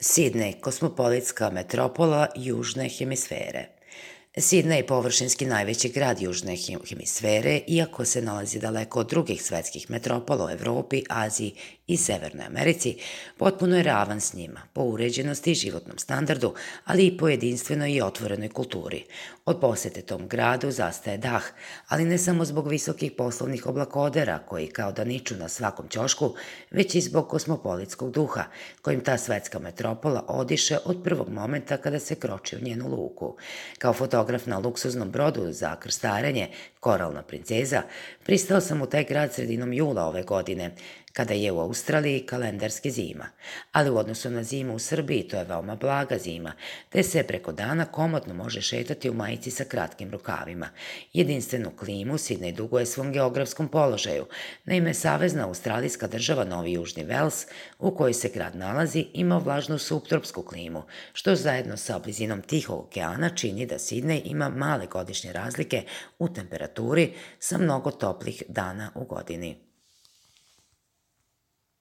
Sidnej, kosmopolitska metropola južne hemisfere. Sidnej je površinski najveći grad južne hemisfere, iako se nalazi daleko od drugih svetskih metropola u Evropi, Aziji i Severnoj Americi, potpuno je ravan s njima, po uređenosti i životnom standardu, ali i po jedinstvenoj i otvorenoj kulturi. Od posete tom gradu zastaje dah, ali ne samo zbog visokih poslovnih oblakodera koji kao da niču na svakom ćošku, već i zbog kosmopolitskog duha, kojim ta svetska metropola odiše od prvog momenta kada se kroči u njenu luku. Kao fotograf na luksuznom brodu za krstarenje Koralna princeza, pristao sam u taj grad sredinom jula ove godine, kada je u Australiji kalendarski zima. Ali u odnosu na zimu u Srbiji to je veoma blaga zima, te se preko dana komotno može šetati u majici sa kratkim rukavima. Jedinstvenu klimu Sidnej duguje svom geografskom položaju. Naime, savezna australijska država Novi Južni Vels, u kojoj se grad nalazi, ima vlažnu subtropsku klimu, što zajedno sa blizinom Tihog okeana čini da Sidnej ima male godišnje razlike u temperaturi sa mnogo toplih dana u godini.